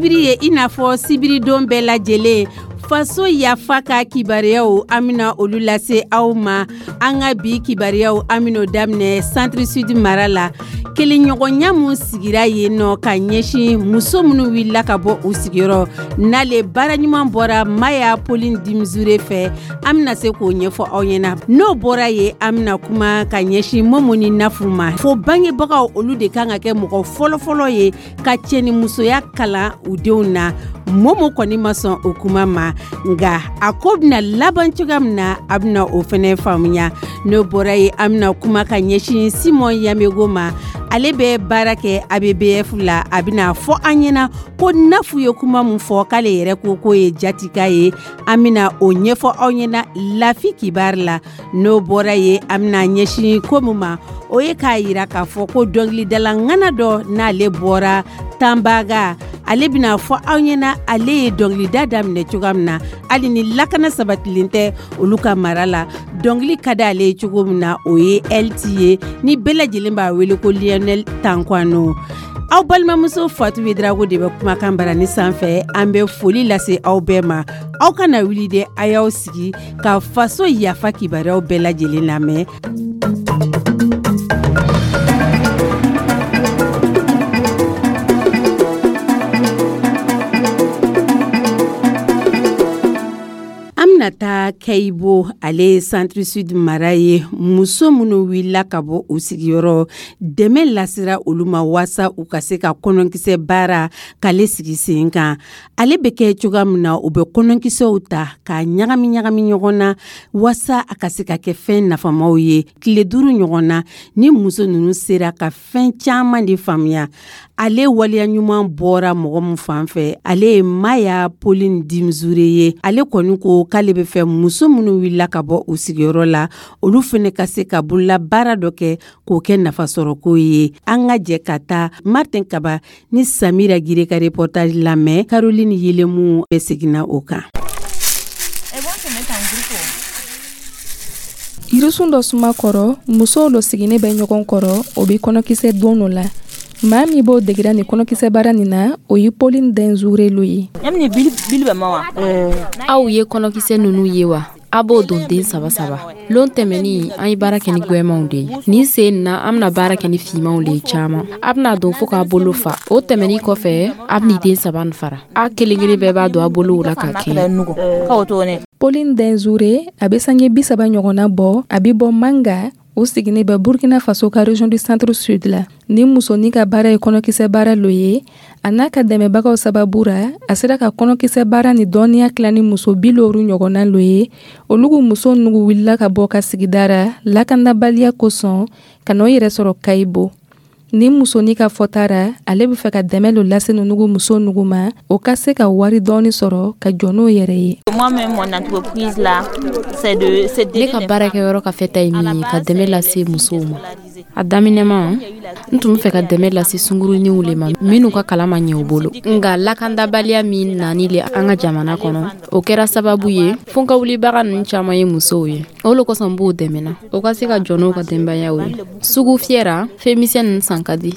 Sibiri ye, i n'a fɔ sibiridon bɛɛ lajɛlen, Faso Yafa ka kibaruyaw, an bɛna olu lase aw ma. An ka bi kibaruyaw, an bɛn'o daminɛ Centre Sud mara la. Kelenɲɔgɔnya min sigira yen nɔ ka ɲɛsin muso minnu wulila ka bɔ u sigiyɔrɔ, n'ale baara ɲuman bɔra Maya Pauline Dimzure fɛ, an bɛna se k'o ɲɛfɔ aw ɲɛna. N'o bɔra yen, an bɛna kuma ka ɲɛsin Momo ni Nafu ma. Fo bangebagaw, olu de kan ka kɛ mɔgɔ fɔlɔfɔlɔ ye ka cɛnimusoya kalan u denw na. Momo kɔni ma sɔn o kuma ma, nka a ko bɛna laban cogoya min na, a bɛna o fɛnɛ faamuya. N'o bɔra yen, an bɛna kuma ka ɲɛsin Simɔn Yamego ma. Ale bɛ baara kɛ ABBF la. A bɛna fɔ an ɲɛna ko Nafu ye kuma min fɔ, k'ale yɛrɛ ko k'o ye jatika ye. An bɛna o ɲɛfɔ aw ɲɛna Lafi Kibaru la. N'o bɔra yen, an bɛna ɲɛsin ko min ma, o ye k'a yira k'a fɔ ko dɔnkilidala ŋana dɔ, n'ale bɔra Tanbaga, ale bɛna fɔ aw ɲɛna ale ye dɔnkilida daminɛ cogoya min na, hali ni lakana sabatilen tɛ olu ka mara la, dɔnkili ka di ale ye cogo min na. O ye LT ye, ni bɛɛ lajɛlen b'a wele ko Lionel Tankwano. Aw balimamuso Fatu Drago de bɛ kumakan barani sanfɛ. An bɛ foli lase aw bɛɛ ma. Aw kana wuli dɛ, a y'aw sigi ka Faso Yafa kibaruyaw bɛɛ lajɛlen lamɛn. An bɛna taa Kayibo, ale ye Centre Sud mara ye. Muso minnu wulila ka bɔ u sigiyɔrɔ, dɛmɛ lasera olu ma waasa u ka se ka kɔnɔnkisɛ baara k'ale sigi sen kan. Ale bɛ kɛ cogoya min na, u bɛ kɔnɔnkisɛw ta k'a ɲagami ɲagami ɲɔgɔn na waasa a ka se ka kɛ fɛn nafamaw ye. Tile 5 ɲɔgɔn na, ni muso ninnu sera ka fɛn caman de faamuya. Ale waleya ɲuman bɔra mɔgɔ min fan fɛ, ale ye Maya Pauline Dimzure ye. Ale kɔni ko k'ale bɛ fɛ muso minnu wulila ka bɔ u sigiyɔrɔ la, olu fana ka se ka bolola baara dɔ kɛ k'o kɛ nafasɔrɔko ye. An ka jɛ ka taa Martin Kaba ni Samira Gire ka reportage lamɛn. Caroline Yelemu bɛ seginna o kan. Yirisun dɔ suma kɔrɔ, musow dɔ sigilen bɛ ɲɔgɔn kɔrɔ, o bɛ kɔnɔkisɛ don dɔ la. Maa min b'o degira nin kɔnɔkisɛ baara nin na, o ye Pauline Denzure lo ye. Aw ye kɔnɔkisɛ ninnu ye wa? A b'o don den saba saba. Lon tɛmɛnin, an ye baara kɛ ni gwɛmanw de ye. Nin sen na, an bɛna baara kɛ ni finmanw de ye caman. A bɛna don fo k'a bolo fa. O tɛmɛnin kɔfɛ, a bɛna den saba nin fara. A kelen kelen bɛɛ b'a don a bolow la ka kɛɲɛ. Pauline Denzure, a bɛ sange 30 ɲɔgɔnna bɔ, a bɛ bɔ Manga, o sigilen bɛ Burkina Faso ka région du Centre Sud la. Ni musonin ka baara ye kɔnɔkisɛ baara lo ye, a n'a ka dɛmɛbagaw sababu ra, a sera ka kɔnɔkisɛ baara ni dɔnniya tila ni muso 50 ɲɔgɔnna lo ye. Olugu muso nugu wulila ka bɔ ka sigida ra lakanabaliya kosɔn ka n'o yɛrɛ sɔrɔ Kayibo. Ni musonin ka fɔta ra, ale bɛ fɛ ka dɛmɛ lo lase nugu muso nugu ma, o ka se ka wari dɔɔni sɔrɔ ka jɔ n'o yɛrɛ ye. Ne ka baarakɛyɔrɔ ka fɛta ye min ye, ka dɛmɛ lase musow ma. A daminɛma, n tun bɛ fɛ ka dɛmɛ lase sunguruninw le ma minnu ka kalan ma ɲɛ u bolo. Nka lakandabaliya min nani le an ka jamana kɔnɔ, o kɛra sababu ye fo n ka wulibaga ninnu caman ye musow ye. O le kosɔn n b'o dɛmɛ na, o ka se ka jɔ n'o ka denbayaw ye. Sugu fiyɛra, fɛn misɛn ninnu san ka di.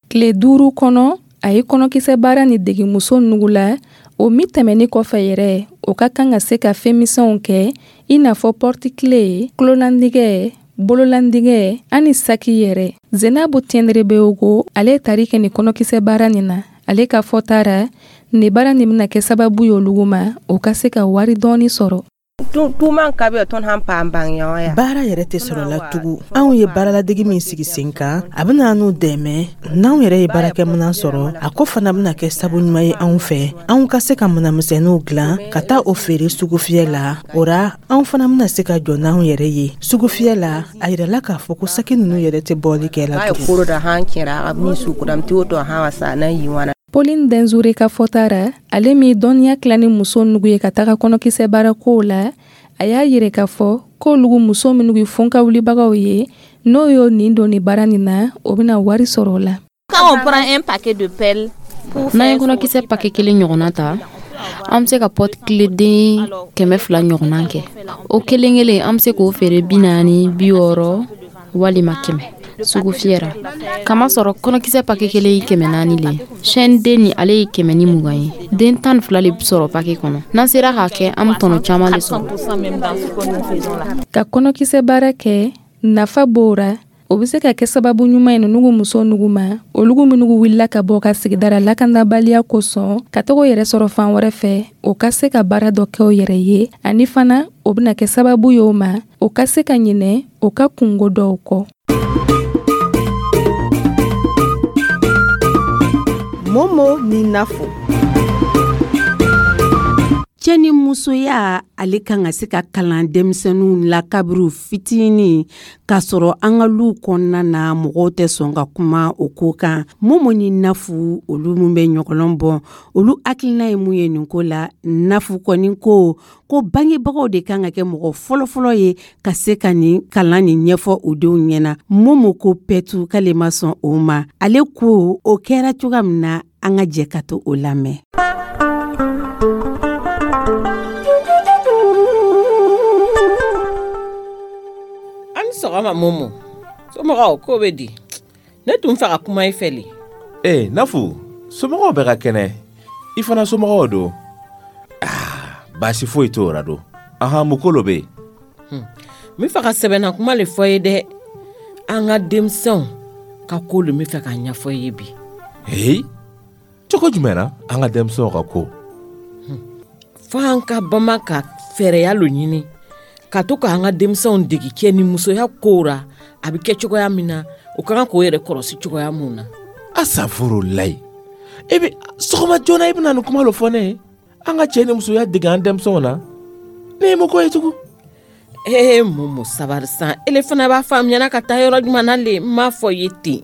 Tile 5 kɔnɔ, a ye kɔnɔkisɛ baara ni degi muso nugu la. O min tɛmɛnin kɔfɛ yɛrɛ, o ka kan ka se ka fɛn misɛnw kɛ, i n'a fɔ porte-clés, kulolandigɛ, bololandigɛ ani saki yɛrɛ. Zenabu Tiendrebeogo, ale ye tari kɛ nin kɔnɔkisɛ baara nin na. Ale ka fɔta ra, nin baara nin bɛna kɛ sababu ye olugu ma, o ka se ka wari dɔɔni sɔrɔ. Baara yɛrɛ tɛ sɔrɔ la tugun. Anw ye baaraladegi min sigi sen kan, a bɛna n'u dɛmɛ. N'anw yɛrɛ ye baarakɛminɛn sɔrɔ, a ko fana bɛna kɛ sabu ɲuman ye anw fɛ, anw ka se ka minɛnmisɛnninw dilan ka taa o feere sugufiyɛ la. O ra, anw fana bɛna se ka jɔ n'anw yɛrɛ ye sugufiyɛ la. A yirala k'a fɔ ko saki ninnu yɛrɛ tɛ bɔli kɛ la tugun. Pauline Denzure ka fɔta ra, ale min dɔnniya tila ni muso nugu ye ka taga kɔnɔkisɛ baara kow la, a y'a yɛrɛ k'a fɔ k'olugu muso minnu ye fonka wulibagaw ye, n'o y'o nin don nin baara nin na, o bɛna wari sɔrɔ o la. N'an ye kɔnɔkisɛ pake kelen ɲɔgɔnna ta, an bɛ se ka porte-clés den 200 ɲɔgɔnna kɛ. O kelen kelen, an bɛ se k'o feere 40, 60 walima 100. Sugufiyɛ ra, kamasɔrɔ kɔnɔkisɛ pake kelen ye 400 le ye. Chaîne den ni ale ye 120 ye. Den 12 le sɔrɔ pake kɔnɔ. N'an sera k'a kɛ, an bɛ tɔnɔ caman le sɔrɔ. Ka kɔnɔkisɛ baara kɛ, nafa b'o ra. O bɛ se ka kɛ sababu ɲuman ye nugu muso nugu ma, olugu minnu wulila ka bɔ ka sigida ra lakanabaliya kosɔn ka taga yɛrɛ sɔrɔ fan wɛrɛ fɛ, o ka se ka baara dɔ kɛ o yɛrɛ ye. Ani fana, o bɛna kɛ sababu ye o ma, o ka se ka ɲinɛ o ka kungo dɔw kɔ. Momo ni Nafo. Cɛ ni musoya, ale kan ka se ka kalan denmisɛnninw la kabiri fitinin, k'a sɔrɔ an ka luw kɔnɔna na, mɔgɔw tɛ sɔn ka kuma o ko kan. Momo ni Nafu, olu min bɛ ɲɔgɔlɔn bɔ, olu hakilina ye mun ye nin ko la? Nafu kɔni ko ko bangebagaw de kan ka kɛ mɔgɔ fɔlɔfɔlɔ ye ka se ka nin kalan nin ɲɛfɔ u denw ɲɛna. Momo ko pɛtu, k'ale ma sɔn o ma. Ale ko o kɛra cogoya min na, an ka jɛ ka to o lamɛn. An sɔgɔma Momo, somɔgɔw ko bɛ di? Ne tun fɛ ka kuma i fɛ le. Ee Nafu, somɔgɔw bɛ ka kɛnɛ, i fana somɔgɔw don? Ah, baasi foyi t'o ra don. Ahan, mun ko lo bɛ yen? N bɛ fɛ ka sɛbɛnna kuma le fɔ ye dɛ. An ka denmisɛnw ka ko le n bɛ fɛ k'a ɲɛfɔ i ye bi. Heyi, cogo jumɛn na an ka denmisɛnw ka ko? Fo an ka bama ka fɛɛrɛya lo ɲini ka to k'an ka denmisɛnw degi cɛ ni musoya kow ra, a bɛ kɛ cogoya min na, o ka kan k'o yɛrɛ kɔrɔsi cogoya mun na. Asafurulayi, e bɛ sɔgɔma joona i bɛna nin kuma lo fɔ ne ye? An ka cɛ ni musoya dege an denmisɛnw na, ne ye mun ko ye tugun? Ee Momo, sabari san, ele fana b'a faamuyana ka taa yɔrɔ jumɛn na le? N m'a fɔ ye ten,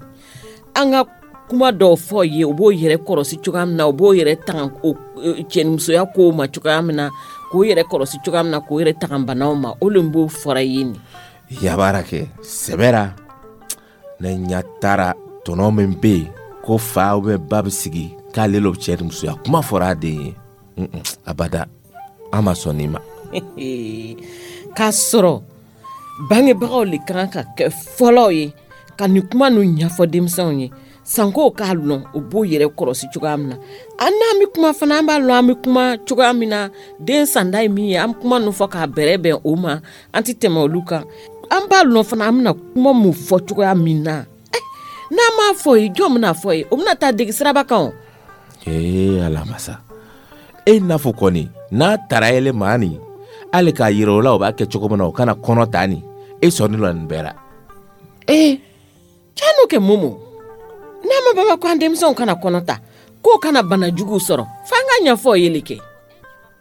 an ka kuma dɔw fɔ ye, u b'o yɛrɛ kɔrɔsi cogoya min na, u b'o yɛrɛ tanga o cɛnimusoya kow ma cogoya min na, k'o yɛrɛ kɔrɔsi cogoya min na, k'o yɛrɛ tanga banaw ma, o le b'o fɔra ye nin. Yabara kɛ sɛbɛra, ne ɲɛ taara tɔnɔ min bɛ yen ko fa ou bien ba bɛ sigi k'ale lo cɛ ni musoya kuma fɔra a den ye, abada, an ma sɔn nin ma. K'a sɔrɔ bangebagaw le kan ka kɛ fɔlɔ ye ka nin kuma ninnu ɲɛfɔ denmisɛnw ye, sanko k'a lɔn u b'o yɛrɛ kɔrɔsi cogoya min na. An n'an bɛ kuma fana, an b'a lɔn an bɛ kuma cogoya min na, den sanda ye min ye, an bɛ kuma ninnu fɔ k'a bɛrɛ bɛn o ma, an tɛ tɛmɛ olu kan. An b'a lɔn fana an bɛna kuma mun fɔ cogoya min na. N'an m'a fɔ ye, jɔn bɛna fɔ ye? O bɛna taa degi siraba kan o. Ee Ala masa, e n'a fɔ kɔni n'a taara yɛlɛ maa nin, hali k'a yira o la o b'a kɛ cogo min na, o kana kɔnɔ ta nin, e sɔnni la nin bɛɛ la. Ee can n'o kɛ Momo, n'a ma baba ko an denmisɛnw kana kɔnɔ ta, k'o kana bana juguw sɔrɔ, f'an ka ɲɛfɔ ye le kɛ.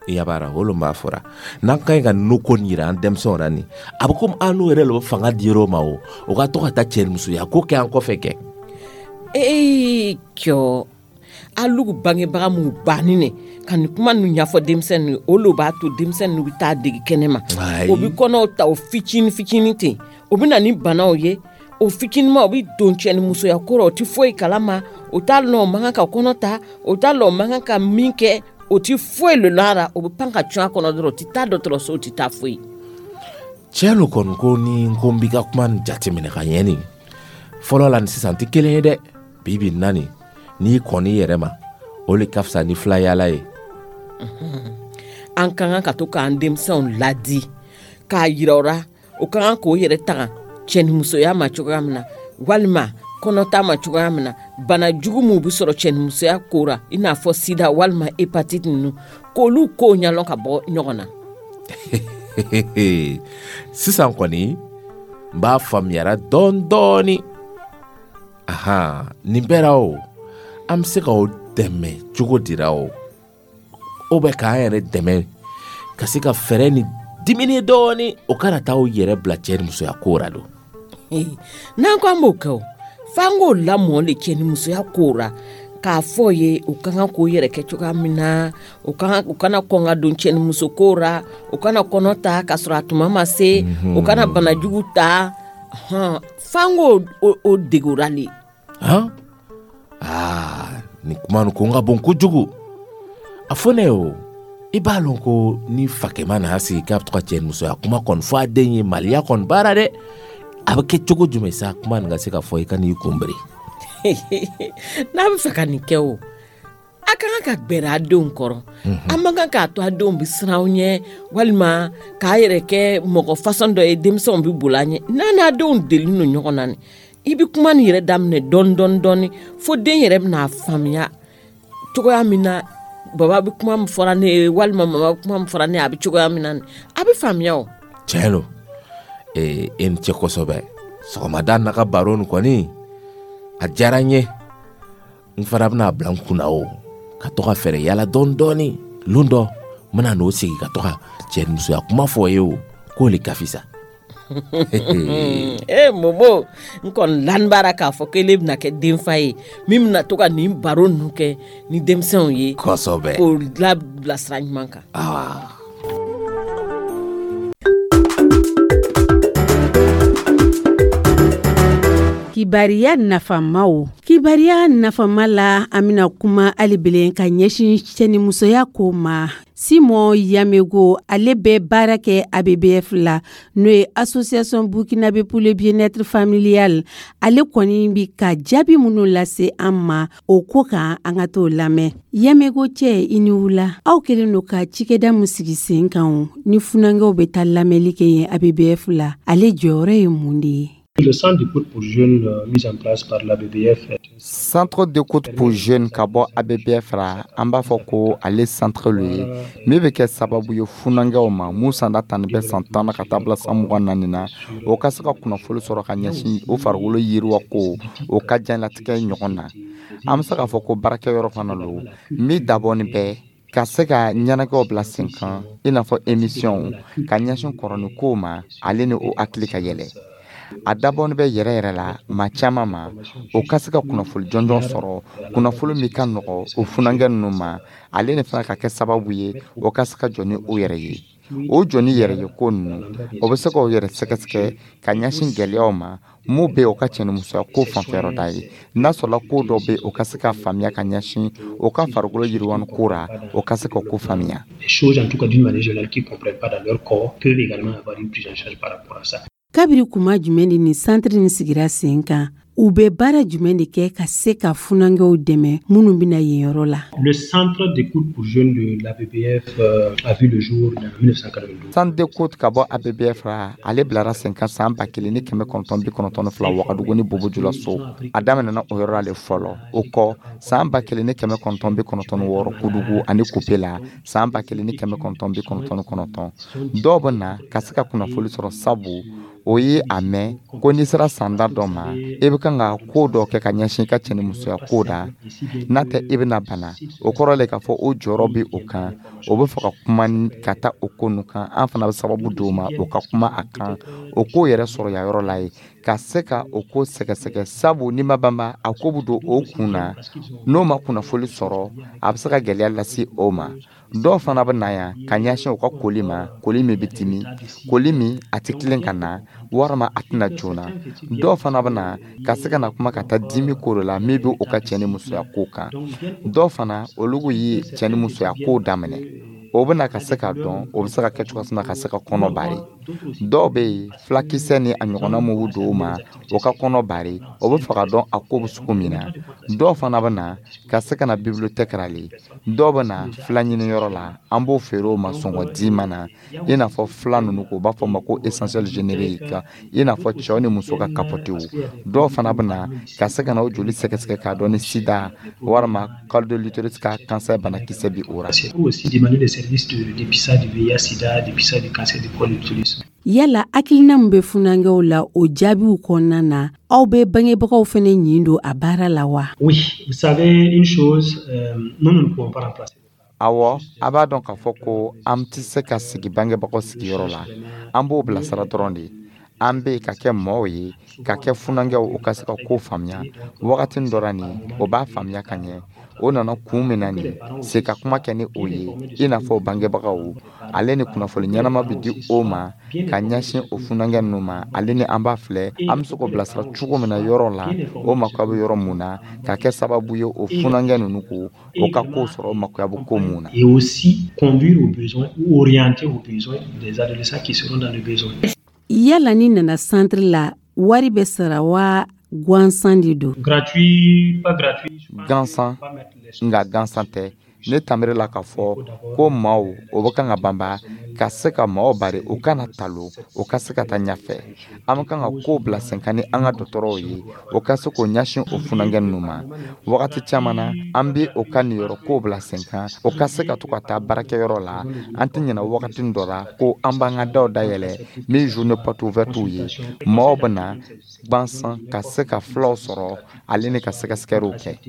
Yabara, o lo b'a fɔra n'an ka ɲi ka ninnu ko nin yira an denmisɛnw na nin, a bɛ komi an n'u yɛrɛ le bɛ fanga di yɔrɔ ma o, o ka to ka taa cɛ ni musoya ko kɛ an kɔfɛ kɛ. Ee cɔ, alugu bangebaga mun banni ne ka nin kuma ninnu ɲɛfɔ denmisɛnninw ye, o lo b'a to denmisɛnninw bɛ taa degi kɛnɛ ma. O bɛ kɔnɔw ta o fitinin fitinin ten, o bɛ na ni banaw ye. O fitininma, o bɛ don cɛ ni musoya ko rɔ, o tɛ foyi kalama, o t'a lɔn o man kan ka kɔnɔ ta, o t'a lɔn o man kan ka min kɛ, o tɛ foyi le lɔn a ra, o bɛ pan ka cun a kɔnɔ dɔrɔn, o tɛ taa dɔgɔtɔrɔso, o tɛ taa foyi. Cɛ lo kɔni ko ni n ko n b'i ka kuma nin jateminɛ ka ɲɛ nin, fɔlɔ la ni sisan tɛ kelen ye dɛ. Bi bi na nin, n'i kɔn'i yɛrɛ ma, o le ka fisa ni filayala ye. An ka kan ka to k'an denmisɛnw ladi k'a yira o ra, o ka kan k'o yɛrɛ tanga cɛnimusoya ma cogoya min na, walima kɔnɔta ma cogoya min na, bana jugu minw bɛ sɔrɔ cɛnimusoya ko ra, i n'a fɔ sida walima hépatite ninnu, k'olu kow ɲɛlɔn ka bɔ ɲɔgɔn na. Sisan kɔni n b'a faamuyara dɔɔni dɔɔni. Ahan, nin bɛɛ ra o, an bɛ se ka o dɛmɛ cogo dira o, o bɛ k'an yɛrɛ dɛmɛ ka se ka fɛɛrɛ ni dimini dɔɔni, o kana taa o yɛrɛ bila cɛ ni musoya ko ra don. N'an ko an b'o kɛ o, f'an k'o lamɔ le cɛ ni musoya ko ra, k'a fɔ ye u ka kan k'o yɛrɛ kɛ cogoya min na, u kana kɔn ka don cɛ ni muso ko ra, u kana kɔnɔ ta k'a sɔrɔ a tuma ma se, u kana banajugu ta, f'an k'o o dege o ra le. Han? Aa, nin kuma nin ko n ka bon kojugu. A fɔ ne ye o, i b'a lɔn ko ni fakɛma n'a sigi k'a bɛ to ka cɛ ni musoya kuma kɔni fɔ a den ye, maliya kɔni baara dɛ. A bɛ kɛ cogo jumɛn sa, kuma nin ka se ka fɔ i ka n'i kunbere? N'a bɛ fɛ ka nin kɛ, o a ka kan ka gbɛrɛ a denw kɔrɔ. An man kan k'a to a denw bɛ siran aw ɲɛ, walima k'a yɛrɛ kɛ mɔgɔ fasɔn dɔ ye, denmisɛnw bɛ boli a ɲɛ. N'a n'a denw deli don ɲɔgɔn na, nin i bɛ kuma nin yɛrɛ daminɛ dɔɔni dɔɔni dɔɔni, fo den yɛrɛ bɛna faamuya cogoya min na baba bɛ kuma min fɔra ne ye, walima mama bɛ kuma min fɔra ne ye, a bɛ cogoya min na, a bɛ faamuya o. Tiɲɛ don. Ee, e ni ce kosɛbɛ. Sɔgɔmada n'a ka baro nin kɔni, a diyara n ye. N fana bɛna bila n kunna o, ka to ka fɛɛrɛ yala dɔɔni dɔɔni. Lon dɔ n bɛna n'o sigi ka to ka cɛnimusoya kuma fɔ ye, o k'o le ka fisa. Ee Momo, n kɔni lani b'ara k'a fɔ k'ele bɛna kɛ denfa ye min bɛna to ka nin baro ninnu kɛ ni denmisɛnw ye. Kosɛbɛ. K'o labila sira ɲuman kan. Awa. Kibariya nafamaw. Kibariya nafama la, an bɛna kuma hali bilen ka ɲɛsin cɛnimusoya ko ma. Simon Yamego, ale bɛ baara kɛ ABBF la, n'o ye Association burkinabé pour le bien-être familial. Ale kɔni bi ka jaabi minnu lase an ma o ko kan, an ka t'o lamɛn. Yamego cɛ, i ni wula. Aw kɛlen don ka cikɛda min sigi sen kan, ni funankɛw bɛ taa lamɛnli kɛ yen ABBF la, ale jɔyɔrɔ ye mun de ye? Le centre d'écoute pour jeunes mis en place par l'ABBF. Centre d'écoute pour jeunes ka bɔ ABBF ra, an b'a fɔ ko ale centre lo ye min bɛ kɛ sababu ye funankɛw ma mun san da tan bɛ san 10 na ka taa bila san 24 na, o ka se ka kunnafoni sɔrɔ ka ɲɛsin o farikolo yiriwa ko o ka diɲɛlatigɛ ɲɔgɔn na. An bɛ se k'a fɔ ko baarakɛyɔrɔ fana lo min dabɔni bɛ ka se ka ɲɛnajɛw bila sen kan, i n'a fɔ émission ka ɲɛsin kɔrɔni kow ma, ale ni o hakili ka yɛlɛ. A dabɔni bɛ yɛrɛ yɛrɛ la maa caman ma, o ka se ka kunnafoni jɔnjɔn sɔrɔ, kunnafoni min ka nɔgɔ o funankɛ ninnu ma, ale ni fana ka kɛ sababu ye o ka se ka jɔ ni o yɛrɛ ye. O jɔ ni yɛrɛ ye ko ninnu, o bɛ se k'o yɛrɛ sɛgɛsɛgɛ ka ɲɛsin gɛlɛyaw ma mun bɛ o ka cɛnimusoya ko fanfɛyɔrɔ da ye. N'a sɔrɔla ko dɔ bɛ, o ka se ka faamuya ka ɲɛsin o ka farikolo yiriwani ko ra, o ka se ka ko faamuya. Des choses, en tout cas d'une manière générale, qu'ils ne comprennent pas dans leur corps, peuvent également avoir une prise en charge par rapport à ça. Kabiri kuma jumɛn de nin santiri nin sigira sen kan? U bɛ baara jumɛn de kɛ ka se ka funankɛw dɛmɛ minnu bɛna yen yɔrɔ la? Le centre d'écoute pour jeunes de l'ABBF a vu le jour en 1992. Centre d'écoute ka bɔ ABBF ra, ale bilara sen kan san 1992 Wagadugu ni Bobo Julaso. A daminɛna o yɔrɔ la fɔlɔ. O kɔ, san 1996 Kudugu ani Kupe la, san 1999. Dɔw bɛ na ka se ka kunnafoni sɔrɔ, sabu o ye a mɛn ko n'i sera sanda dɔ ma, i bɛ kan ka ko dɔ kɛ ka ɲɛsin i ka cɛnimusoya ko da, n'a tɛ i bɛna bana. O kɔrɔ le k'a fɔ o jɔyɔrɔ bɛ o kan, o bɛ fɛ ka kuma ka taa o ko ninnu kan. An fana bɛ sababu d'o ma o ka kuma a kan, o ko yɛrɛ sɔrɔ ya yɔrɔ la ye ka se ka o ko sɛgɛsɛgɛ, sabu n'i ma banba, a ko bɛ don o kun na. N'o ma kunnafoni sɔrɔ, a bɛ se ka gɛlɛya lase o ma. Dɔw fana bɛ na yan ka ɲɛsin u ka koli ma, koli min bɛ dimi, koli min a tɛ tilen ka na, walima a tɛna joona. Dɔw fana bɛ na ka se ka na kuma ka taa dimi ko de la min bɛ u ka cɛ ni musoya ko kan. Dɔw fana, olu ye cɛ ni musoya ko daminɛ, o bɛna ka se k'a dɔn o bɛ se ka kɛ cogo min na ka se ka kɔnɔ bari. Dɔw bɛ yen, fulakisɛ ni a ɲɔgɔnna mun don o ma o ka kɔnɔ bari, o bɛ fɛ ka dɔn a ko bɛ sugu min na. Dɔw fana bɛ na ka se ka na bibliothèque la le. Dɔw bɛ na fila ɲiniyɔrɔ la, an b'o feere o ma sɔngɔ diman na, i n'a fɔ fila ninnu ko u b'a fɔ ma ko essentiel générique, i n'a fɔ cɛw ni muso ka kapotew. Dɔw fana bɛ na ka se ka na o joli sɛgɛsɛgɛ k'a dɔn ni sida walima col de l'utérus ka cancer banakisɛ bɛ o la. Aussi demander des services de dépistage du VIH sida, dépistage du cancer du col de l'utérus. Yala hakilina min bɛ funankɛw la, o jaabiw kɔnɔna na, aw bɛ bangebagaw fana ɲin don a baara la wa? Oui, vous savez une chose, nous, nous ne pouvons pas remplacer. Awɔ, a b'a dɔn k'a fɔ ko an tɛ se ka sigi bangebagaw sigiyɔrɔ la. An b'o bilasira dɔrɔn de. An bɛ ka kɛ mɔɔw ye, ka kɛ funankɛw, o ka se ka ko faamuya wagati dɔ la nin, o b'a faamuya ka ɲɛ. O nana kun min na nin se ka kuma kɛ ni o ye, i n'a fɔ bangebagaw, ale ni kunnafoni ɲɛnama bɛ di o ma ka ɲɛsin o funankɛ ninnu ma. Ale ni an b'a filɛ an bɛ se k'o bilasira cogo min na yɔrɔ la, o makoya bɛ yɔrɔ mun na, ka kɛ sababu ye o funankɛ ninnu ko o ka ko sɔrɔ, o makoya bɛ ko mun na. Et aussi conduire aux besoins ou orienter aux besoins des adolescents qui seront dans le besoin. Yala ni nana centre la, Wari bɛ sara wa gansan de don? Gratuit, pas gratuit. Gansan, nka gansan tɛ. Ne tanbere la k'a fɔ ko maaw o bɛ kan ka banba ka se ka maaw bari u kana talo, u ka se ka taa ɲɛfɛ. An bɛ kan ka kow bila sen kan ni an ka dɔgɔtɔrɔw ye, o ka se k'o ɲɛsin o funankɛ ninnu ma. Wagati caman na, an bɛ o ka niyɔrɔ kow bila sen kan, o ka se ka to ka taa baarakɛyɔrɔ la. An tɛ ɲinɛ wagati dɔ la ko an b'an ka daw dayɛlɛ ni journée porte ouverte ye. Maaw bɛ na gansan ka se ka fulaw sɔrɔ ale ni ka sɛgɛsɛgɛliw kɛ.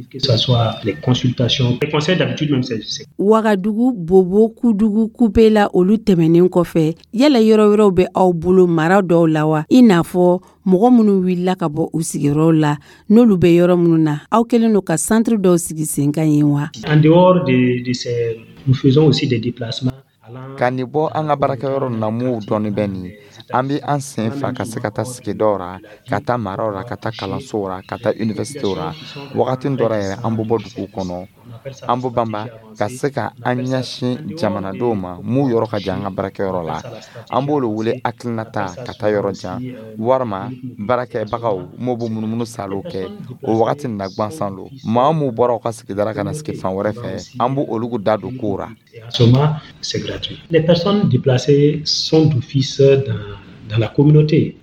Wagadugu, Bobo, Kudugu, Kupela, olu tɛmɛnen kɔfɛ, yala yɔrɔ wɛrɛw bɛ aw bolo mara dɔw la wa, i n'a fɔ mɔgɔ minnu wulila ka bɔ u sigiyɔrɔw la, n'olu bɛ yɔrɔ minnu na, aw kɛlen don ka santiri dɔw sigi sen kan yen wa? En dehors de ces, nous faisons aussi des déplacements. Ka nin bɔ an ka baarakɛyɔrɔ na, m'u dɔɔni bɛ nin, an bɛ an sen fa ka se ka taa sigidaw ra, ka taa maraw ra, ka taa kalansow ra, ka taa universitéw ra. Wagati dɔ ra yɛrɛ, an bɛ bɔ dugu kɔnɔ, an bɛ banba ka se ka an ɲɛsin jamanadenw ma m'u yɔrɔ ka jan an ka baarakɛyɔrɔ la. An b'olu wele hakilinata ka taa yɔrɔ jan, walima baarakɛbagaw m'o bɛ munumunu salo kɛ. O wagati na gansan lo, maa m'u bɔra u ka sigida ka na sigi fan wɛrɛ fɛ, an b'o olu da don kow ra. C'est gratuit. Les personnes déplacées sont d'office dans la communauté.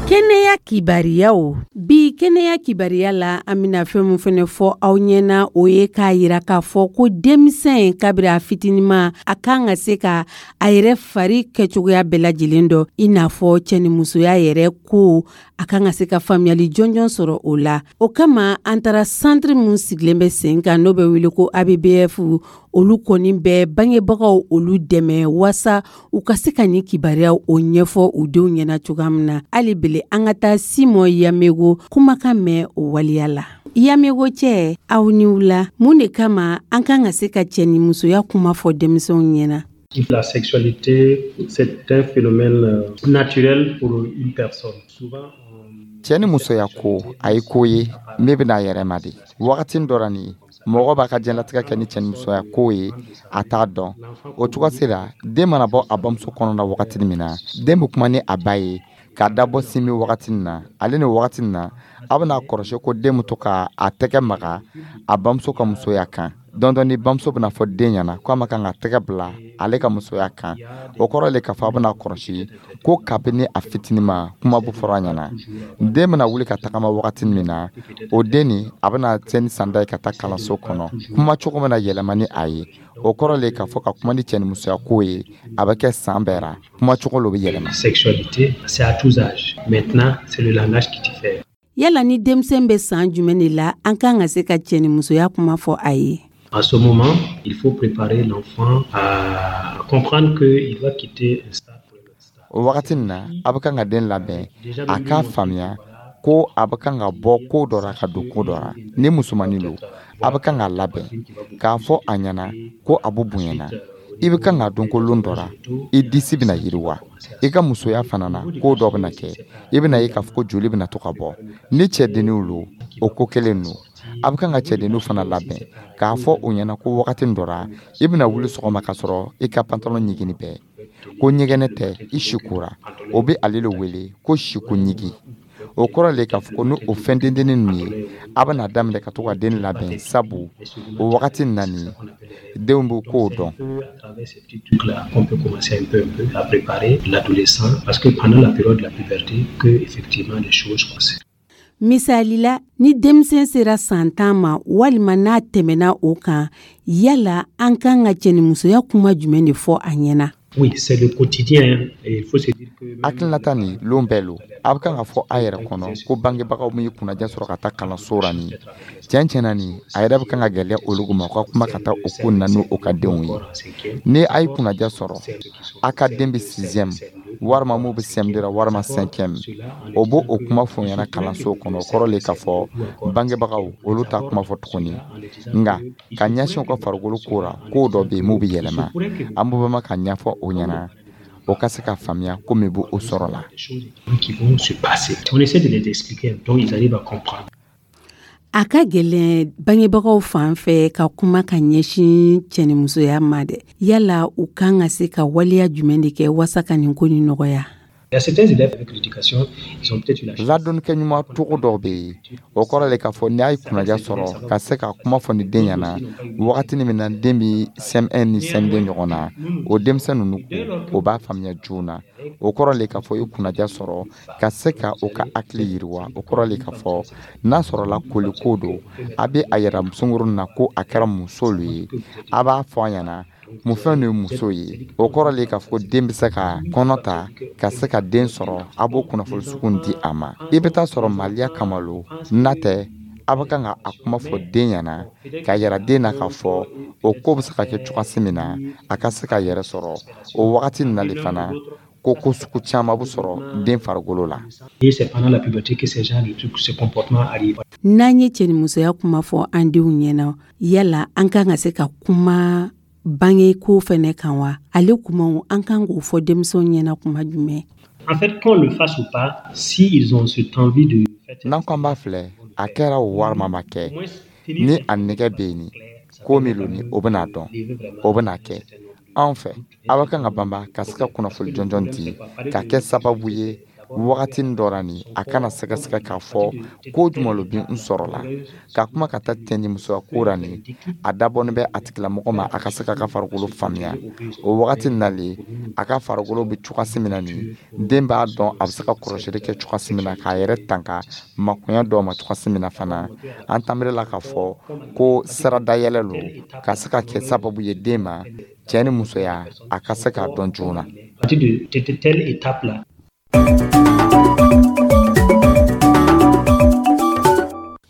Kɛnɛya kibariyaw. Bi kɛnɛya kibariya la, an bɛna fɛn min fɛnɛ fɔ aw ɲɛna, o ye k'a yira k'a fɔ ko denmisɛn kabiri a fitinima, a kan ka se ka a yɛrɛ fari kɛcogoya bɛɛ lajɛlen dɔn, i n'a fɔ cɛnimusoya yɛrɛ ko, a kan ka se ka faamuyali jɔnjɔn sɔrɔ o la. O kama, an taara santiri min sigilen bɛ sen kan, n'o bɛ wele ko ABBF. Olu kɔni bɛ bangebagaw olu dɛmɛ waasa u ka se ka nin kibaruyaw o ɲɛfɔ u denw ɲɛna cogoya min na. Hali bele, an ka taa Simɔ Yamego kumakan mɛn o waleya la. Yamego cɛ, aw ni wula. Mun de kama an kan ka se ka cɛ ni musoya kuma fɔ denmisɛnw ɲɛna? La sexualité, c'est un phénomène naturel pour une personne. Souvent, cɛ ni musoya ko, a ye ko ye min bɛna a yɛrɛ ma de. Wagati dɔ la nin, mɔgɔ b'a ka diɲɛlatigɛ kɛ ni cɛ ni musoya ko ye, a t'a dɔn. O cogo sera, den mana bɔ a bamuso kɔnɔ na wagati min na, den bɛ kuma ni a ba ye k'a dabɔ sin min wagati na. Ale ni wagati na, a bɛna kɔrɔsi ko den bɛ to ka a tɛgɛ maga a bamuso ka musoya kan. Dɔn dɔɔni, bamuso bɛna fɔ den ɲɛna ko a ma kan ka tɛgɛ bila ale ka musoya kan. O kɔrɔ le k'a fɔ a bɛna kɔrɔsi ko kabini a fitinin ma, kuma bɛ fɔra a ɲɛna. Den bɛna wuli ka tagama wagati min na, o den nin, a bɛna se ni sanda ye ka taa kalanso kɔnɔ, kuma cogo bɛna yɛlɛma ni a ye. O kɔrɔ le k'a fɔ ka kuma ni cɛ ni musoya ko ye, a bɛ kɛ san bɛɛ ra, kuma cogo lo bɛ yɛlɛma. Sexualité, c'est à tous âges. Maintenant, c'est le langage qui diffère. Yala ni denmisɛn bɛ san jumɛn de la, an kan ka se ka cɛ ni musoya kuma fɔ a ye? À ce moment, il faut préparer l'enfant à comprendre qu'il va quitter un stade pour un autre stade. O wagati nin na, a bɛ kan ka den labɛn a k'a faamuya ko a bɛ kan ka bɔ ko dɔ ra ka don ko dɔ ra. Ni musomanin don, a bɛ kan ka labɛn k'a fɔ a ɲɛna ko a bɛ bonyana. I bɛ kan k'a dɔn ko lon dɔ ra, i disi bɛna yiriwa, i ka musoya fana na, ko dɔ bɛna kɛ, i bɛna ye k'a fɔ ko joli bɛna to ka bɔ. Ni cɛdenninw lo, o ko kelen don. A bɛ kan ka cɛdenninw fana labɛn k'a fɔ o ɲɛna ko wagati dɔ ra, i bɛna wuli sɔgɔma k'a sɔrɔ i ka pantalon ɲigini bɛɛ ko ɲɛgɛnɛ tɛ, i sikora. O bɛ ale le wele ko siko ɲigi. O kɔrɔ le k'a fɔ ko ni o fɛn dendennin ninnu ye, a bɛna daminɛ ka to ka den labɛn, sabu o wagati na nin, denw bɛ kow dɔn. À travers ces petits trucs-là qu'on peut commencer un peu à préparer l'adolescent, parce que pendant la période de la puberté, que effectivement les choses commencent. Misali la, ni denmisɛn sera san 10 ma walima n'a tɛmɛna o kan, yala an kan ka cɛnimusoya kuma jumɛn de fɔ a ɲɛna? Oui, c'est le quotidien et il faut se dire que Hakilinata nin, lon bɛɛ lo. A bɛ kan ka fɔ a yɛrɛ kɔnɔ ko bangebagaw min ye kunnadiya sɔrɔ ka taa kalanso ra nin, tiɲɛ tiɲɛna nin, a yɛrɛ bɛ kan ka gɛlɛya olu ma u ka kuma ka taa o ko na n'o ka denw ye. Ni a ye kunnadiya sɔrɔ, a ka den bɛ sixième walima mun bɛ CM2 la walima cinquième, o b'o o kuma fɔ ɲɛna kalanso kɔnɔ. O kɔrɔ le k'a fɔ bangebagaw olu t'a kuma fɔ tuguni, nka ka ɲɛsin u ka farikolo ko ra, ko dɔ bɛ yen mun bɛ yɛlɛma, an b'o ma ka ɲɛfɔ o ɲɛna, o ka se ka faamuya ko min b'o sɔrɔ la. Qui vont se passer. On essaie de les expliquer, donc ils arrivent à comprendre. A ka gɛlɛn bangebagaw fan fɛ ka kuma ka ɲɛsin cɛnimusoya ma dɛ. Yala u kan ka se ka waleya jumɛn de kɛ waasa ka nin ko nin nɔgɔya? Ladɔnnikɛ ɲuman cogo dɔw bɛ yen, o kɔrɔ le k'a fɔ n'i y'a ye kunnaja sɔrɔ ka se ka kuma fɔ ni den ɲɛna wagatini min na den bɛ CM1 ni CM2 ɲɔgɔn na, o denmisɛn ninnu o b'a faamuya joona. O kɔrɔ le k'a fɔ i kunnaja sɔrɔ ka se ka o ka hakili yiriwa. O kɔrɔ le k'a fɔ n'a sɔrɔla koliko don, a bɛ a yira sunkurun na ko a kɛra muso le ye, a b'a fɔ a ɲɛna mun fɛn de ye muso ye. O kɔrɔ le k'a fɔ den bɛ se ka kɔnɔ ta ka se ka den sɔrɔ, a b'o kunnafoni sugu di a ma. I bɛ taa sɔrɔ maliya kama lo, n'a tɛ a bɛ kan ka a kuma fɔ den ɲɛna k'a yira den na k'a fɔ o ko bɛ se ka kɛ cogoya min na a ka se k'a yɛrɛ sɔrɔ. O wagati nin na le fana ko sugu caman bɛ sɔrɔ den farikolo la. N'an ye cɛnimusoya kuma fɔ an denw ɲɛna, yala an kan ka se ka kuma bange ko fɛnɛ kan wa? Ale kumaw an kan k'o fɔ denmisɛnw ɲɛna kuma jumɛn? En fait, qu'on le fasse ou pas, si ils ont cette envie de N'an ko an b'a filɛ, a kɛra o walima ma kɛ, ni a nɛgɛ bɛ yen, ko min lo ni o bɛna dɔn, o bɛna kɛ. Anw fɛ, aw ka kan ka banba ka se ka kunnafoni jɔnjɔn di ka kɛ sababu ye wagatinin dɔ la nin a kana sɛgɛsɛgɛ k'a fɔ ko jumɛn lo bi n sɔrɔ la ka kuma ka taa cɛnimusoya ko la nin a dabɔnin bɛ a tigilamɔgɔ ma a ka se k'a ka farikolo faamuya. O wagati nin na le a ka farikolo bɛ cogoya min na nin den b'a dɔn a bɛ se ka kɔlɔsili kɛ cogoya min na k'a yɛrɛ tanka makoɲɛ dɔw ma cogoya min na fana. An tanbere la k'a fɔ ko sira dayɛlɛ lo ka se ka kɛ sababu ye den ma cɛ ni musoya a ka se k'a dɔn joona. À partir de telle étape là.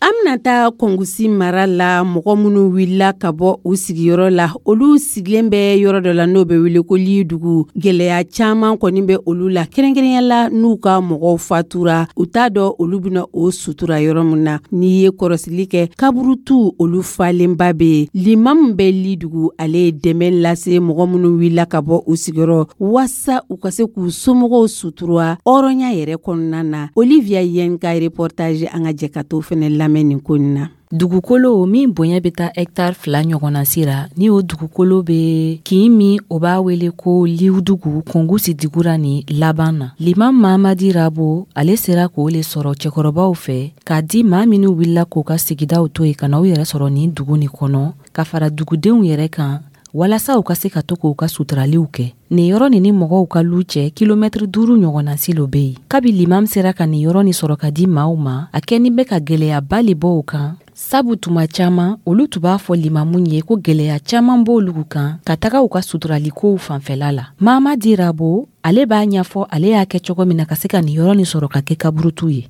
An bɛna taa Kɔngusi mara la. Mɔgɔ minnu wulila ka bɔ u sigiyɔrɔ la, olu sigilen bɛ yɔrɔ dɔ la n'o bɛ wele ko Lidugu. Gɛlɛya caman kɔni bɛ olu la, kɛrɛnkɛrɛnya la n'u ka mɔgɔw fatura, u t'a dɔn olu bɛna o sutura yɔrɔ min na. N'i ye kɔrɔsili kɛ, kaburutu olu falenba bɛ yen. Limamu bɛ Lidugu, ale ye dɛmɛ lase mɔgɔ minnu wulila ka bɔ u sigiyɔrɔ waasa u ka se k'u somɔgɔw sutura hɔrɔnya yɛrɛ kɔnɔna na. Olivia Yen ka reportage, an ka jɛ ka t'o fɛnɛ lamɛn nin ko in na. Dugukolo min bonya bɛ taa hɛkitari 2 ɲɔgɔnna sira ni o dugukolo bɛ kin min o b'a wele ko Liwudugu Kɔngusi digura ni laban na. Liman Mamadi Rabo, ale sera k'o le sɔrɔ cɛkɔrɔbaw fɛ k'a di maa minnu wulila k'u ka sigidaw to yen ka na u yɛrɛ sɔrɔ nin dugu nin kɔnɔ, ka fara dugudenw yɛrɛ kan walasa u ka se ka to k'u ka suturaliw kɛ. Nin yɔrɔ nin ni mɔgɔw ka lu cɛ, kilomɛtiri 5 ɲɔgɔnna si lo bɛ yen. Kabi limam sera ka nin yɔrɔ nin sɔrɔ ka di maaw ma, a kɛni bɛ ka gwɛlɛyaba le bɔ u kan, sabu tuma caman olu tun b'a fɔ limamu ye ko gwɛlɛya caman b'olu kan ka taga u ka suturalikow fanfɛla la. Mamadi Rabo, ale b'a ɲɛfɔ ale y'a kɛ cogo min na ka se ka nin yɔrɔ nin sɔrɔ ka kɛ kaburutu ye.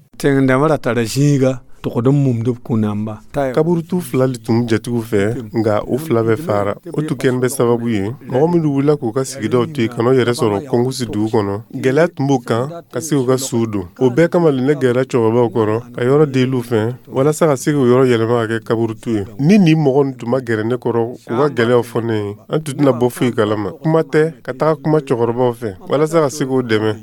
Kaburutu 2 le tun jatigiw fɛ, nka u 2 bɛɛ fara. O tun kɛnin bɛ sababu ye mɔgɔ minnu wulila k'u ka sigidaw to yen ka n'u yɛrɛ sɔrɔ Kɔngusi dugu kɔnɔ, gɛlɛya tun b'o kan ka se k'u ka suw don. O bɛɛ kama le ne gɛrɛla cɛkɔrɔbaw kɔrɔ ka yɔrɔ deliw fɛ walasa ka se k'o yɔrɔ yɛlɛma ka kɛ kaburutu ye. Ni nin mɔgɔ tun ma gɛrɛ ne kɔrɔ k'u ka gɛlɛyaw fɔ ne ye, an tun tɛna bɔ foyi kalama. Kuma tɛ ka taga kuma cɛkɔrɔbaw fɛ walasa ka se k'o dɛmɛ.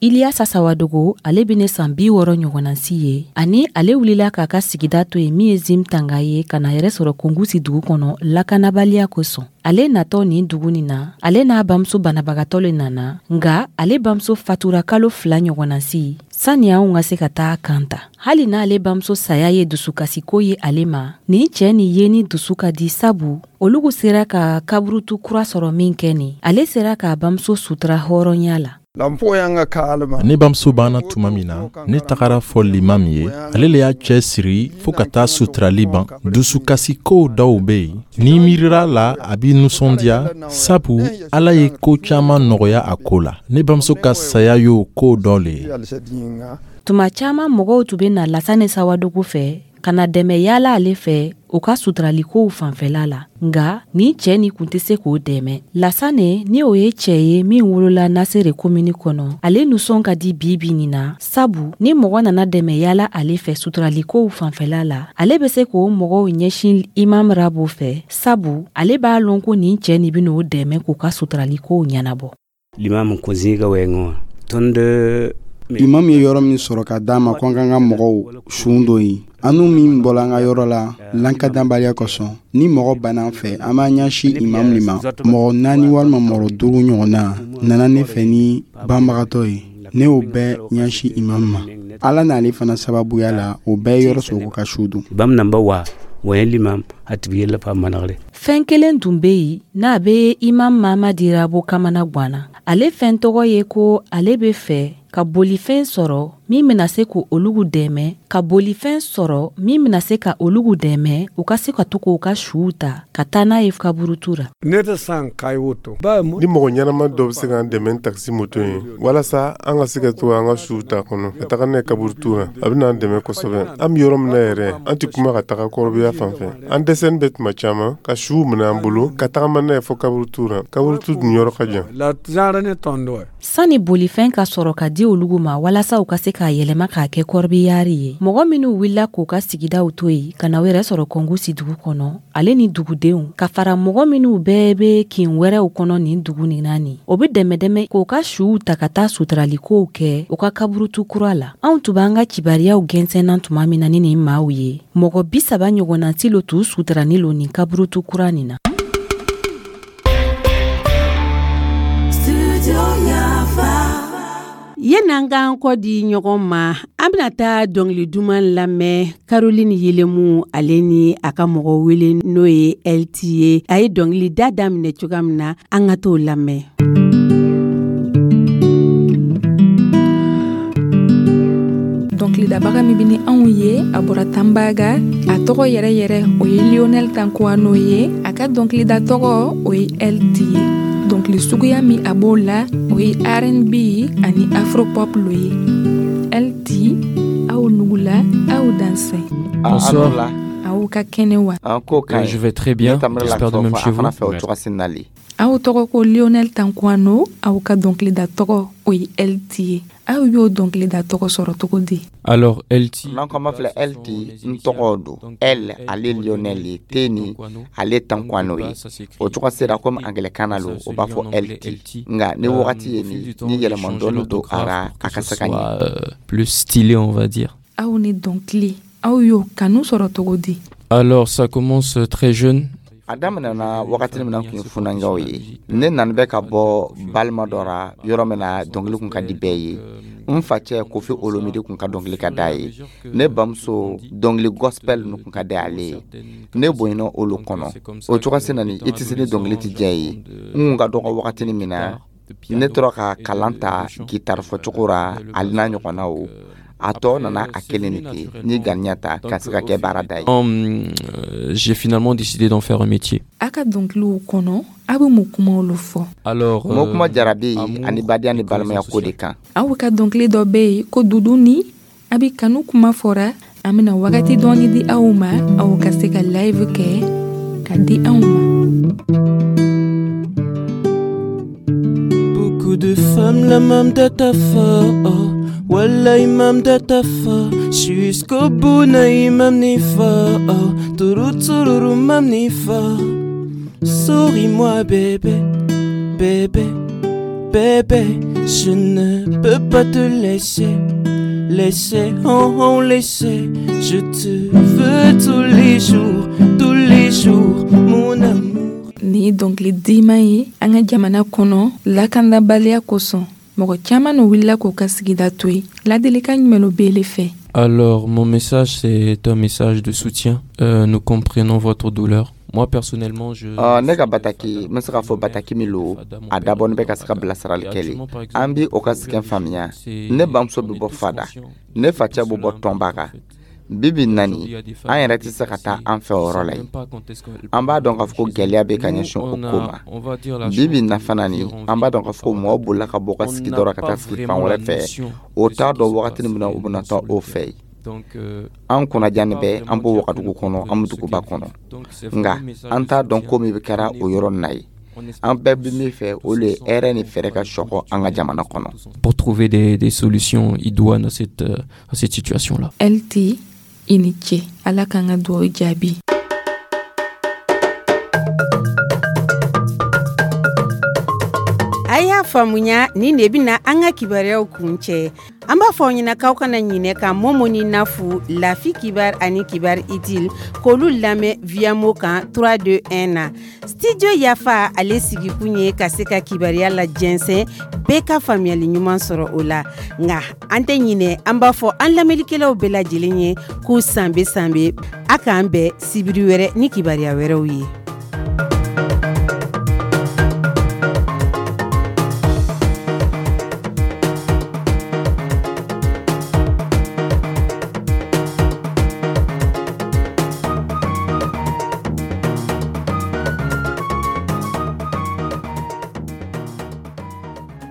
Iliyasa Sawadogo, ale bɛ ne san 60 ɲɔgɔnna si ye, ani ale wulila k'a ka sigida to yen min ye Zimtanga ye, ka na yɛrɛ sɔrɔ Kɔngusi dugu kɔnɔ lakanabaliya kosɔn. Ale natɔ nin dugu nin na, ale n'a bamuso banabagatɔ le nana, nka ale bamuso fatura kalo 2 ɲɔgɔnna si sani anw ka se ka taa kan ta. Hali n'ale bamuso saya ye dusukasiko ye ale ma, nin cɛ nin ye ni dusu ka di, sabu olugu sera ka kaburutu kura sɔrɔ min kɛ nin, ale sera k'a bamuso sutura hɔrɔnya la. Ne bamuso banna tuma min na, ne tagara fɔ limam ye, ale le y'a cɛ siri fɔɔ ka taa suturali ban. Dusukasikow dɔw bɛ yen, n'i miirira la, a b'i nisɔndiya, sabu Ala ye ko caman nɔgɔya a ko la. Ne bamuso ka saya y'o ko dɔ le ye. Tuma caman mɔgɔw tun bɛ na Lasane Sawadogo fɛ ka na dɛmɛ yaala ale fɛ u ka suturalikow fanfɛla la, nka nin cɛ nin kun tɛ se k'o dɛmɛ. Lasane, ni o ye cɛ ye min wolola Nasere komini kɔnɔ, ale nisɔn ka di bi bi nin na, sabu ni mɔgɔ nana dɛmɛ yaala ale fɛ suturalikow fanfɛla la, ale bɛ se k'o mɔgɔw ɲɛsin Imam Rabo fɛ, sabu ale b'a lɔn ko nin cɛ nin bɛn'o dɛmɛ k'u ka suturalikow ɲɛnabɔ. Limamu ko zĩiga wɛɛngẽ wã tõnd Imam ye yɔrɔ min sɔrɔ ka d'an ma ko an k'an ka mɔgɔw suw don yen, an min bɔla an ka yɔrɔ la lakanabaliya kosɔn, ni mɔgɔ banna an fɛ, an b'an ɲɛsin imam le ma. Mɔgɔ 4 walima mɔgɔ 5 ɲɔgɔnna nana ne fɛ ni banbagatɔ ye. Ne y'o bɛɛ ɲɛsin imam ma. Ala n'ale fana sababuya la, o bɛɛ ye yɔrɔ sɔrɔ ka su don. Fɛn kelen tun bɛ yen n'a bɛ imam Mamadi Rabo kamana ganna. Ale fɛn tɔgɔ ye ko ale bɛ fɛ ka bolifɛn sɔrɔ min bɛna se ka olugu dɛmɛ ka bolifɛn sɔrɔ min bɛna se ka olugu dɛmɛ u ka se ka to k'u ka suw ta ka taa n'a ye kaburutu la. Ni mɔgɔ ɲɛnama dɔ bɛ se k'an dɛmɛ ni takisi moto ye walasa an ka se ka to an ka suw ta kɔnɔ ka taga n'a ye kaburutu la, a bɛna an dɛmɛ kosɛbɛ. An bɛ yɔrɔ min na yɛrɛ, an tɛ kuma ka taga kɔrɔbiya fan fɛ. An dɛsɛlen bɛ tuma caman ka suw minɛ an bolo ka tagama n'a ye fɔ kaburutu la. Kaburutu dun yɔrɔ ka jan. Sani bolifɛn ka sɔrɔ ka di olugu ma walasa u ka se k'a yɛlɛma k'a kɛ kɔrɔbiyari ye, mɔgɔ minnu wulila k'u ka sigidaw to yen ka na u yɛrɛ sɔrɔ Kɔngusi dugu kɔnɔ, ale ni dugudenw ka fara mɔgɔ minnu bɛɛ bɛ kin wɛrɛw kɔnɔ nin dugu nin na nin, o bɛ dɛmɛdɛmɛ k'u ka suw ta ka taa suturaliko kɛ u ka kaburutu kura la. Anw tun b'an ka kibariyaw gɛnsɛnna tuma min na ni nin maaw ye, mɔgɔ 30 ɲɔgɔnna tilo t'u suturani lo nin kaburutu kura nin na. Yan'an k'an kɔ di ɲɔgɔn ma, an bɛna taa dɔnkili duman lamɛn Caroline Yelemu ale ni a ka mɔgɔ wele n'o ye LT ye. A ye dɔnkili da daminɛ cogoya min na, an ka t'o lamɛn. Dɔnkilidabaga min bɛ ni anw ye, a bɔra Tanbaga. A tɔgɔ yɛrɛ yɛrɛ o ye Lionel Tankuano ye. A ka dɔnkilida tɔgɔ o ye LT ye. Dɔnkili suguya min a b'o la, o ye R&B ani afropop lo ye. LT, aw nugula, aw dansɛ. Bonsoir. Aw ka kɛnɛ wa? Je vais très bien, j'espère de même chez vous. Aw tɔgɔ ko Lionel Tankuano, aw ka dɔnkilida tɔgɔ o ye LT ye. Aw y'o dɔnkilida tɔgɔ sɔrɔ cogo di? Alors LT, n'an ko an b'a filɛ LT, n tɔgɔ don. L ale Lionel ye, T ni ale Tankuano ye. O cogo sera komi angilɛkan na lo, o b'a fɔ LT. Nka ni wagati ye nin, ni yɛlɛma dɔɔni don a ra, a ka se ka ɲɛ. Plus stylé, on va dire. Aw ni dɔnkili, aw y'o kanu sɔrɔ cogo di? Alors ça commence très jeune. A daminɛna wagati min na tun ye funankɛw ye. Ne nana bɛ ka bɔ balima dɔ ra yɔrɔ min na dɔnkili kun ka di bɛɛ ye. N facɛ Kofi Olomide kun ka dɔnkili ka d'a ye. Ne bamuso dɔnkili gospel ninnu kun ka di ale ye. Ne bonyana olu kɔnɔ. O cogo se nani i tɛ se ni dɔnkili tɛ diya ye. N kun ka dɔgɔ wagati min na, ne tora ka kalan ta gitari fɔcogo ra ale n'a ɲɔgɔnnaw. A tɔ nana a kelen de ten ni ganiya ta ka se ka kɛ baara da ye. J'ai finalement décidé d'en faire un métier. A ka dɔnkiliw kɔnɔ, aw bɛ mun kumaw lo fɔ? Alors, mo kuma jarabi ani badenya ni balimaya ko de kan. Aw ka dɔnkili dɔ bɛ yen ko Dudu ni a bɛ kanu kuma fɔra. An bɛna wagati dɔɔni di aw ma, aw ka se ka live kɛ ka di anw ma. Beaucoup de femmes la même date à fort. Wallah imam datafa, jusqu'au bout na imam nifa, turu tururu mam nifa. Souris-moi bébé, bébé, bébé, je ne peux pas te laisser, laisser, oh oh laisser. Je te veux tous les jours, mon amour. Ni dɔnkili diman ye an ka jamana kɔnɔ lakanabaliya kosɔn. Mɔgɔ caman n'o wulila k'o ka sigida to yen. Ladilikan jumɛn lo b'ele fɛ? Alors, mon message, c'est un message de soutien. Nous comprenons votre douleur. Moi, personnellement, je... Ne ka bataki, n bɛ se k'a fɔ bataki min lo, a dabɔnin bɛ ka se ka bilasirali kɛ le. An bi o ka sɛgɛn faamuya. Ne bamuso bɛ bɔ Fada, ne facɛ bɛ bɔ Tɔnbaga. Bi bi nani, an yɛrɛ tɛ se ka taa an fɛ o yɔrɔ la yen. An b'a dɔn k'a fɔ ko gɛlɛya bɛ ka ɲɛsin o ko ma. Bi bi na fana ni, an b'a dɔn k'a fɔ ko mɔgɔ bolila ka bɔ ka sigida la ka taa sigi fan wɛrɛ fɛ. O t'a dɔn wagati min na u bɛna taa o fɛ yen. An kunnajanin bɛ, an b'o wagadugu kɔnɔ, an bɛ duguba kɔnɔ. Nka an t'a dɔn ko min kɛra o yɔrɔ nin na yen. An bɛɛ bɛ min fɛ, o le ye hɛrɛ ni fɛɛrɛ ka sɔkɔ an ka jamana kɔnɔ. Pour trouver des solutions idoines à cette situation-là. LT, i ni ce. Ala k'an ka dugawu jaabi. A y'a faamu. Faamuya, nin de bɛna an ka kibaruyaw kuncɛ. An b'a fɔ aw ɲɛna k'aw kana ɲinɛ ka Momo ni Nafu, Lafi Kibar ani Kibar Itil, k'olu lamɛn Viamo kan 3 2 1 na. Studio Yafa, ale sigikun ye ka se ka kibaruya la jɛnsɛn, bɛɛ ka faamuyali ɲuman sɔrɔ o la. Nka an tɛ ɲinɛ, an b'a fɔ an lamɛnnikɛlaw bɛɛ lajɛlen ye k'u sanbe sanbe. A k'an bɛn sibiri wɛrɛ ni kibaruya wɛrɛw ye.